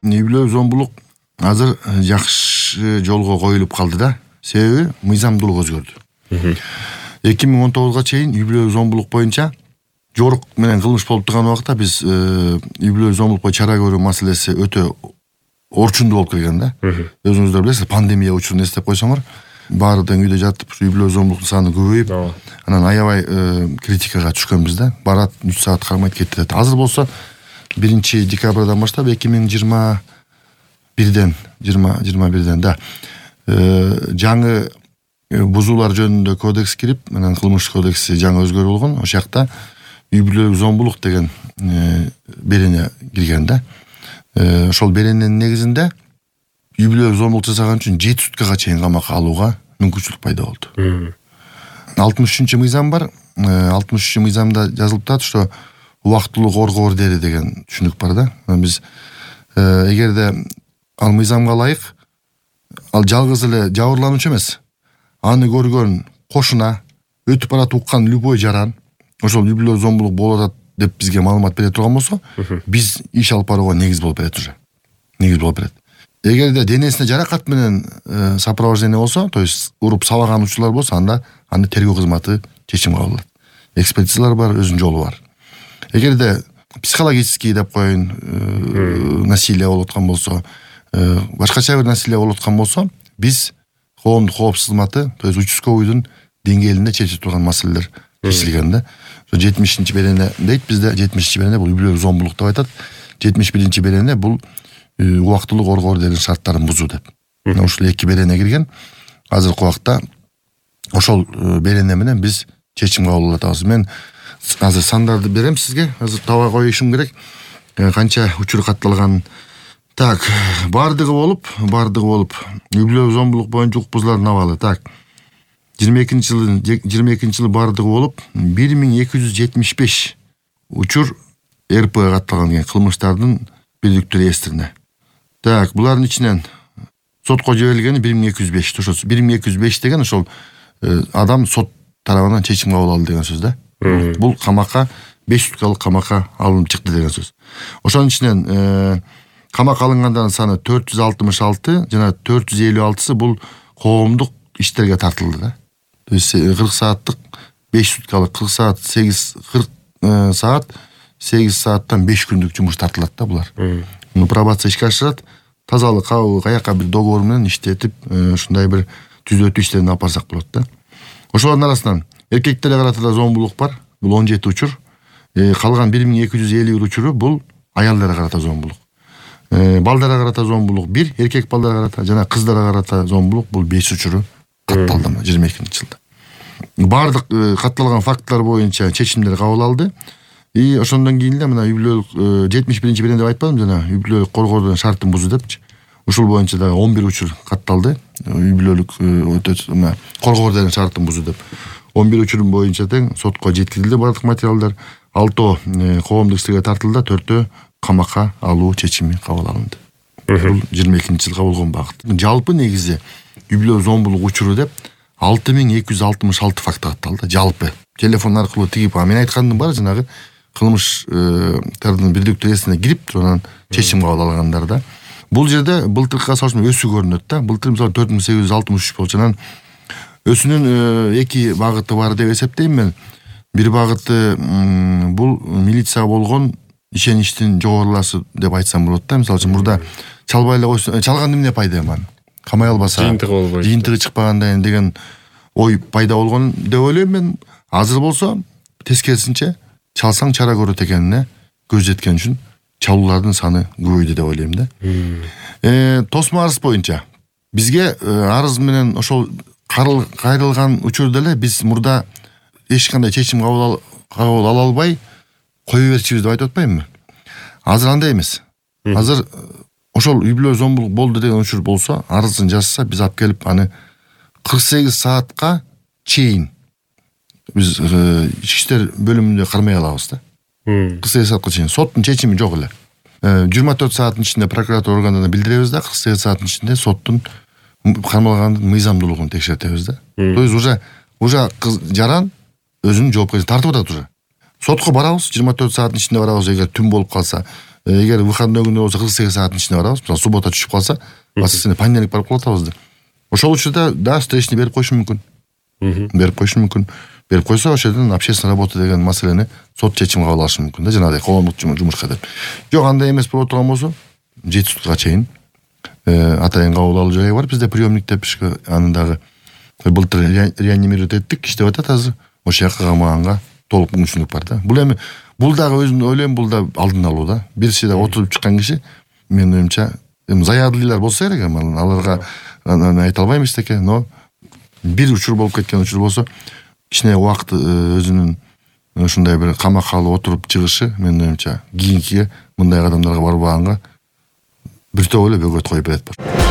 үй бүлөлүк зомбулук азыр жакшы жолго коюлуп калды да. Себеби мыйзамдуулук өзгөрдү. 2019 чейин үй бүлөлүк зомбулук боюнча жорук менен кылмыш болуп турган убакта биз үй бүлөлүк зомбулукка чара көрүү маселеси өтө орчундуу болуп келген да. Өзүңүздөр билесиз, пандемия учурун эстеп койсоңор, баары тең үйдө жатып, үй бүлөлүк зомбулуктун саны көбөйүп, анан аябай критикага түшкөнбүз да. Барат 3 саат кармайт кетет. Азыр болсо 1 декабрдан баштап 2021ден да жаңы бузуулар жөнүндө кодекс кирип, анан кылмыш кодекси жаңы өзгөрүп болгон. Ошол жакта үй бүлөлүк зомбулук деген берене кирген да. Ошол берененин негизинде үй бүлөлүк зомбулук жасаган үчүн 7 суткага чейин камакка алууга мүмкүнчүлүк пайда болду. 63-мыйзам бар. 63-мыйзамда жазылып турат, что убактылуу коргоо ордери деген түшүнүк бар да. Биз эгерде ал мыйзамга ылайык, ал жалгыз эле жабырлануучу эмес, аны көргөн кошуна, өтүп барат уккан любой жаран ошол үй бүлөлүк зомбулук болуп атат деп бизге маалымат бере турган болсо, биз иш алып барууга негиз болуп берет уже. Негиз болуп берет. Эгерде денесине жаракат менен сопровождение болсо, то есть уруп сабаган учурлар болсо, анда аны тергөө кызматы чечим кабыл алат. Экспертизалар бар, өзүнүн жолу бар. Эгерде психологический деп коеюн, насилие болуп аткан болсо, башкача бир насилие болуп аткан болсо, биз коомдук коопсуздук кызматы, то есть участковыйдын деңгээлинде чечип турган маселелер чечилген да. 70-берене дейт бизде, 70-берене бул үй бүлөлүк зомбулук деп айтат. 71-берене бул убактылуу коргоо ордеринин шарттарын бузуу деп. Ушул 2 берене кирген. Азыркы убакта ошол берене менен биз чечим кабыл алабыз. Мен азыр сандарды берем сизге. Азыр таба коюшум керек. Канча учур катталган. Так, бардыгы болуп, үй бүлөлүк зомбулук боюнча укук бузуулардын абалы. Так, 22-жылы бардыгы болуп, 1275 учур РП катталган кылмыштардын бирдиктүү реестрине. Так, булардын ичинен сотко жиберилгени 1205. Ошо 1205 деген ошол адам сот тарабынан чечим кабыл алды деген сөз да. Бул камакка 5 суткалык камакка алынып чыкты деген сөз. Ошонун ичинен камакка алынгандардын саны 466 жана 456сы бул коомдук иштерге тартылды да. То есть 40 сааттык 5 суткалык 40 саат 40 саат 8 сааттан 5 күндүк жумуш тартылат да булар. Муну пробация ишке ашырат, тазалык, кабыл, каяка бир договор менен иштетип, ушундай бир түзөтүү иштерин алып барсак болот да. Ошолордун арасынан эркектерге карата да зомбулук бар. Бул 17 учур. Калган 1251 учуру бул аялдарга карата зомбулук. Балдарга карата зомбулук 1, эркек балдарга карата жана кыздарга карата зомбулук бул 5 учуру катталды 22-жылда. Бардык катталган факттар боюнча чечимдер кабыл алды. И ошондон кийин эле мына үй бүлөлүк 71-берене деп айтпадым жана, үй бүлөлүк коргоодон шартын бузуу депчи. Ушул боюнча да 11 учур катталды. Үй бүлөлүк коргоо ордеринин шартын бузуу деп. 11 учурун боюнча тең сотко жеткирилди бардык материалдар. 6 коомдук иштерге тартылды, 4 камакка алуу чечими кабыл алынды. Бул 22-жылга болгон багыт. Жалпы негизи үй бүлөлүк зомбулук учуру деп 6266 факт катталды. Жалпы телефон аркылуу тигип, мен айткандын баары жанагы кылмыштардын бирдиктүү реестрине кирип туруп анан чечим кабыл алгандар да. Бул жерде былтыркыга салыштырмалуу өсүү көрүнөт да. Былтыр мисалы 4863 болчу. Анан өсүүнүн 2 багыты бар деп эсептейм мен. Бир багыты бул милицияга болгон ишеничтин жогорулашы деп айтсам болот да. Мисалы үчүн мурда чалбай эле койсо, чалганда эмне пайда ман? Камай албаса, жыйынтыгы чыкпагандай деген ой пайда болгон деп ойлойм мен. Азыр болсо тескерисинче чалсаң чара көрөт экенине көз жеткен үчүн чалуулардын саны көбөйдү деп ойлойм да. Тосмо арыз боюнча бизге арыз менен ошол кайрылган учурда эле биз мурда эч кандай чечим кабыл ала албай кое берчүбүз деп айтып атпаймынбы? Азыр андай эмес. Азыр ошол үй бүлөлүк зомбулук болду деген учур болсо, арызын жазса, биз алып келип аны 48 саатка чейин биз ички иштер бөлүмүндө кармай алабыз да. 48 саатка чейин соттун чечими жок эле. 24 сааттын ичинде прокуратура органдарына билдиребиз да, 48 сааттын ичинде соттун кармалгандын мыйзамдуулугун текшертебиз да. То есть уже жаран өзүнүн жоопкерчилигин тартып атат уже. Сотко барабыз, 24 сааттын ичинде барабыз, эгер түн болуп калса. эгер выходной күнү болсо 48 сааттын ичинде барабыз. Мисалы суббота түшүп калса, воскресенье понедельник барып калып атабыз. Ошол учурда да встречный берип коюшу мүмкүн. Берип коюшу мүмкүн. Берип койсо ошол жерден общественная работа деген маселени сот чечим кабыл алышы мүмкүн да, жанагыдай коомдук жумушка деп. Жок, андай эмес боло турган болсо 7 суткага чейин атайын кабыл алуу жайы бар бизде, приемник деп анын дагы былтыр реанимировать эттик, иштеп атат азыр. Ошол жака камаганга толук мүмкүнчүлүк бар да. Бул дагы өзүм ойлойм, бул да алдын алуу да. Бирси да отуруп чыккан киши, менин оюмча, заядлыйлар болсо керек, аларга айта албайм эчтеке, но бир учур болуп кеткен учур болсо, кичине убакыт өзүнүн ушундай бир камакка алып отуруп чыгышы, менин оюмча, кийинкиге мындай кадамдарга барбаганга бир топ эле бөгөт коюп берет.